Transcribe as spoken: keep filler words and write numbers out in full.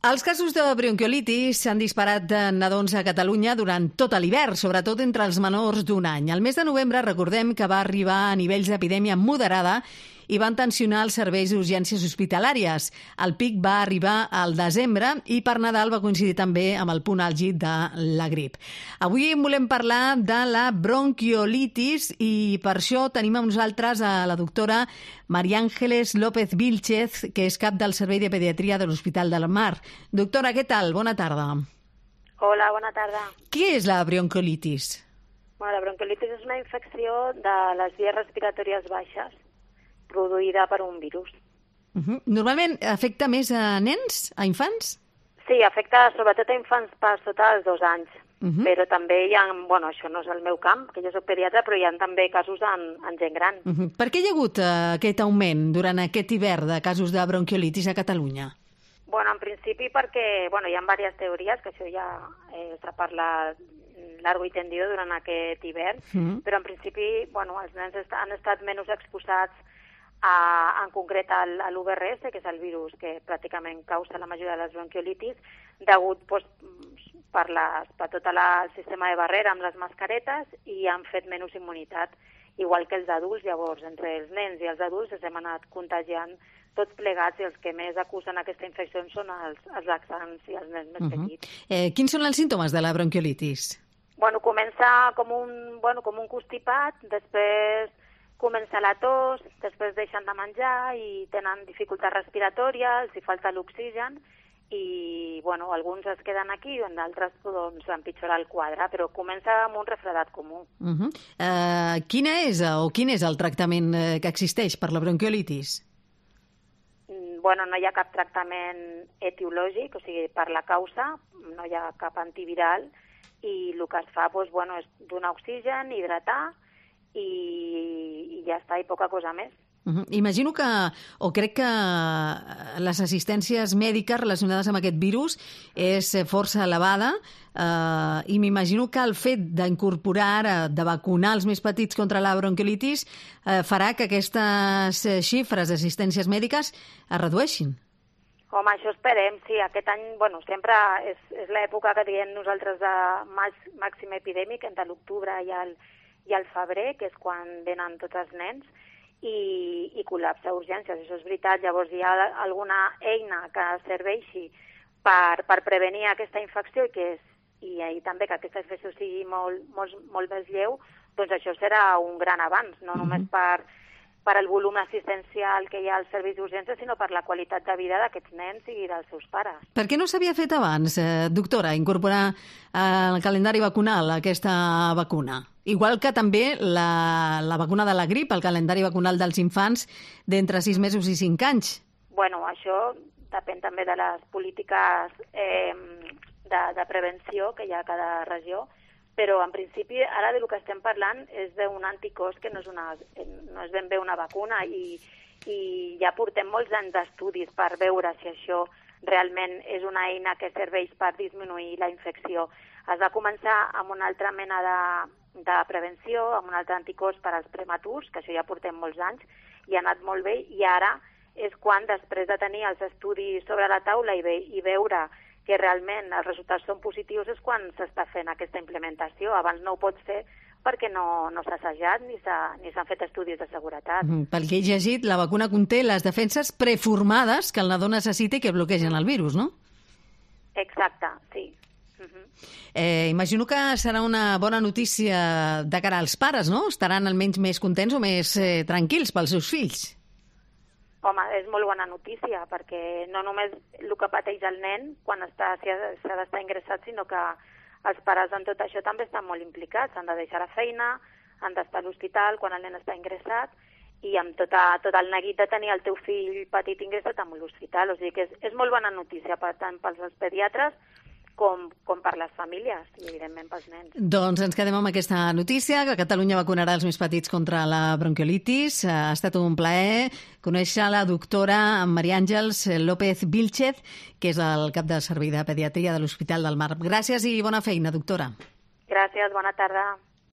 Els casos de bronquiolitis s'han disparat de nadons a Catalunya durant tot l'hivern, sobretot entre els menors d'un any. El mes de novembre recordem que va arribar a nivells d'epidèmia moderada i van tensionar els serveis d'urgències hospitalàries. El pic va arribar al desembre i per Nadal va coincidir també amb el punt àlgid de la grip. Avui en volem parlar de la bronquiolitis i per això tenim amb nosaltres a la doctora María Ángeles López Vílchez, que és cap del Servei de Pediatria de l'Hospital del Mar. Doctora, què tal? Bona tarda. Hola, bona tarda. Què és la bronquiolitis? Bueno, la bronquiolitis és una infecció de les vies respiratòries baixes produïda per un virus. Uh-huh. Normalment afecta més a nens, a infants? Sí, afecta sobretot a infants per sota dels dos anys. Uh-huh. Però també hi ha, bueno, això no és el meu camp, que jo soc pediatra, però hi ha també casos en, en gent gran. Uh-huh. Per què hi ha hagut uh, aquest augment durant aquest hivern de casos de bronquiolitis a Catalunya? Bueno, en principi perquè bueno, hi ha diverses teories, que això ja eh, s'ha parlat largo i tendido durant aquest hivern, uh-huh. però en principi bueno, els nens est han estat menys exposats a, en concret al, a l'U V R S, que és el virus que pràcticament causa la majoria de les bronquiolitis, degut pues, per, les, per tot la, el sistema de barrera amb les mascaretes i han fet menys immunitat, igual que els adults. Llavors, entre els nens i els adults ens hem anat contagiant tots plegats i els que més acusen aquesta infecció són els, els laxants i els nens més uh-huh. petits. Eh, quins són els símptomes de la bronquiolitis? Bueno, comença com un, bueno, com un constipat, després comença la tos, després deixen de menjar i tenen dificultat respiratòria, els hi falta l'oxigen i bueno, alguns es queden aquí i d'altres doncs, empitjora el quadre, però comença amb un refredat comú. Uh-huh. uh, quina és o quin és el tractament que existeix per la bronquiolitis? Bueno, no hi ha cap tractament etiològic, o sigui, per la causa, no hi ha cap antiviral i el que es fa doncs, bueno, és donar oxigen, hidratar i, i ja està, i poca cosa més. Uh-huh. Imagino que, o crec que les assistències mèdiques relacionades amb aquest virus és força elevada eh, i m'imagino que el fet d'incorporar ara, de vacunar els més petits contra la bronquiolitis eh, farà que aquestes xifres d'assistències mèdiques es redueixin. Home, això esperem, sí. Aquest any, bueno, sempre és, és l'època que diem nosaltres de màxim epidèmic, entre l'octubre i el, i el febrer, que és quan venen tots els nens, i, i col·lapse a urgències, això és veritat. Llavors hi ha alguna eina que serveixi per, per prevenir aquesta infecció i, que és, i, i també que aquesta infecció sigui molt, molt, molt més lleu, doncs això serà un gran avanç, no només per, per el volum assistencial que hi ha als serveis d'urgències, sinó per la qualitat de vida d'aquests nens i dels seus pares. Per què no s'havia fet abans, eh, doctora, incorporar al calendari vacunal aquesta vacuna? Igual que també la, la vacuna de la grip, el calendari vacunal dels infants d'entre sis mesos i cinc anys. Bueno, això depèn també de les polítiques eh, de, de prevenció que hi ha a cada regió, però en principi ara del que estem parlant és d'un anticòs que no és, una, no és ben bé una vacuna i, i ja portem molts anys d'estudis per veure si això realment és una eina que serveix per disminuir la infecció. Es va començar amb una altra mena de, de prevenció, amb un altre anticòs per als prematurs, que això ja portem molts anys, i ha anat molt bé, i ara és quan, després de tenir els estudis sobre la taula i, ve, i veure que realment els resultats són positius, és quan s'està fent aquesta implementació. Abans no ho pots fer perquè no, no s'ha assajat ni s'han fet estudis de seguretat. Mm, pel que he llegit, la vacuna conté les defenses preformades que el nadó necessita i que bloquegen el virus, no? Exacte, sí. Uh-huh. Eh, imagino que serà una bona notícia de cara als pares, no? Estaran almenys més contents o més eh, tranquils pels seus fills. Home, és molt bona notícia, perquè no només el que pateix el nen quan està, s'ha d'estar ingressat, sinó que els pares en tot això també estan molt implicats. Han de deixar la feina, han d'estar a l'hospital quan el nen està ingressat i amb tota, tot el neguit de tenir el teu fill petit ingressat en l'hospital. O sigui que és, és molt bona notícia, per tant, pels pediatres com, com per les famílies i, evidentment, pels nens. Doncs ens quedem amb aquesta notícia, que Catalunya vacunarà els més petits contra la bronquiolitis. Ha estat un plaer conèixer la doctora María Ángeles López Vílchez, que és el cap del Servei de Pediatria de l'Hospital del Mar. Gràcies i bona feina, doctora. Gràcies, bona tarda.